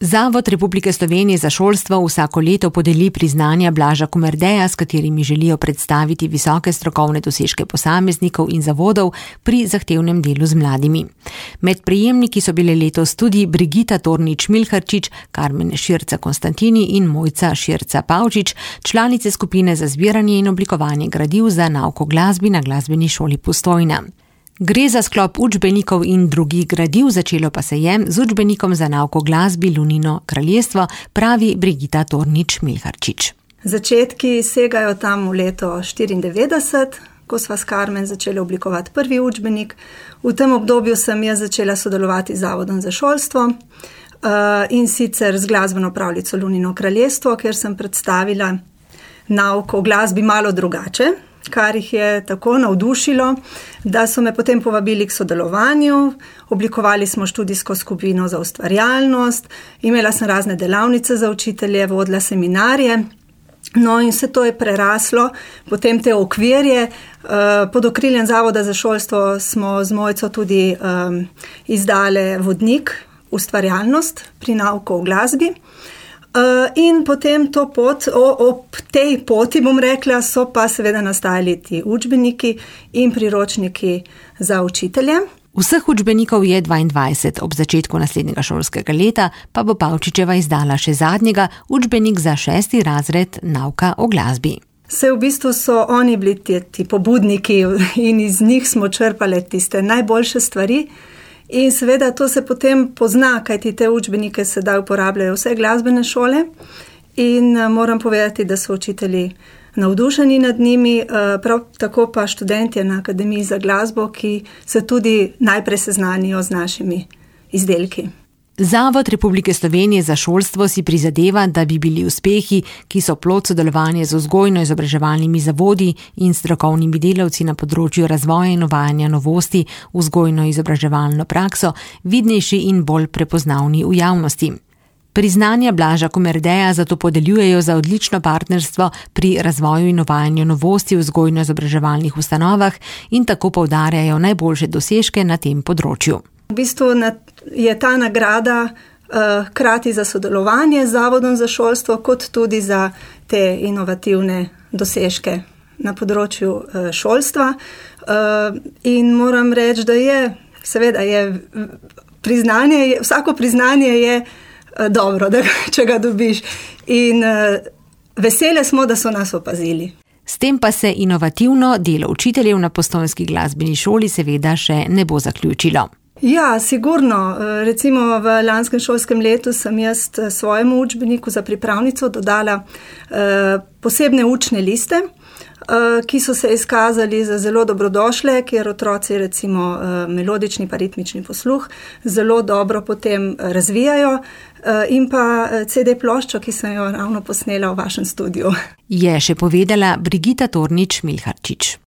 Zavod Republike Slovenije za šolstvo vsako leto podeli priznanja Blaža Komerdeja, s katerimi želijo predstaviti visoke strokovne dosežke posameznikov in zavodov pri zahtevnem delu z mladimi. Med prejemniki so bile letos tudi Brigita Tornič-Milharčič, Karmen Širca-Konstantini in Mojca Širca-Pavčič, članice skupine za zbiranje in oblikovanje gradiv za nauk o glasbi na Glasbeni šoli Postojna. Gre za sklop učbenikov in drugih gradiv, začelo pa se je z učbenikom za nauk o glasbi Lunino kraljestvo, pravi Brigita Tornič-Milharčič. Začetki segajo tam v leto 1994, ko sva s Karmen začeli oblikovati prvi učbenik. V tem obdobju sem jaz začela sodelovati z Zavodom za šolstvo in sicer z glasbeno pravljico Lunino kraljestvo, kjer sem predstavila nauk o glasbi malo drugače, kar jih je tako navdušilo, da so me potem povabili k sodelovanju. Oblikovali smo študijsko skupino za ustvarjalnost, imela sem razne delavnice za učitelje, vodila seminarje. No in vse to je preraslo, potem te okvirje. Pod okriljem Zavoda za šolstvo smo z Mojco tudi izdale vodnik Ustvarjalnost pri nauku o glasbi. In potem to pot, ob tej poti, bom rekla, so pa seveda nastajali ti učbeniki in priročniki za učitelje. Vseh učbenikov je 22, ob začetku naslednjega šolskega leta pa bo Pavčičeva izdala še zadnjega, učbenik za 6. razred nauka o glasbi. V bistvu so oni bili ti pobudniki in iz njih smo črpali tiste najboljše stvari. In seveda to se potem pozna, kajti te učbenike sedaj uporabljajo vse glasbene šole in moram povedati, da so učitelji navdušeni nad njimi, prav tako pa študentje na Akademiji za glasbo, ki se tudi najprej seznanijo z našimi izdelki. Zavod Republike Slovenije za šolstvo si prizadeva, da bi bili uspehi, ki so plod sodelovanja z vzgojno-izobraževalnimi zavodi in strokovnimi delavci na področju razvoja in uvajanja novosti v vzgojno-izobraževalno prakso, vidnejši in bolj prepoznavni v javnosti. Priznanja Blaža Komerdeja zato podeljujejo za odlično partnerstvo pri razvoju in uvajanju novosti v vzgojno-izobraževalnih ustanovah in tako poudarjajo najboljše dosežke na tem področju. V bistvu je ta nagrada hkrati za sodelovanje z Zavodom za šolstvo, kot tudi za te inovativne dosežke na področju šolstva. In moram reči, da je, seveda je priznanje, vsako priznanje je dobro, če ga dobiš. In vesele smo, da so nas opazili. S tem pa se inovativno delo učiteljev na Postojnski glasbeni šoli seveda še ne bo zaključilo. Ja, sigurno. Recimo v lanskem šolskem letu sem jaz svojemu učbeniku za pripravnico dodala posebne učne liste, ki so se izkazali za zelo dobrodošle, kjer otroci recimo melodični pa ritmični posluh zelo dobro potem razvijajo, in pa CD ploščo, ki sem jo ravno posnela v vašem studiu. Je še povedala Brigita Tornič-Milharčič.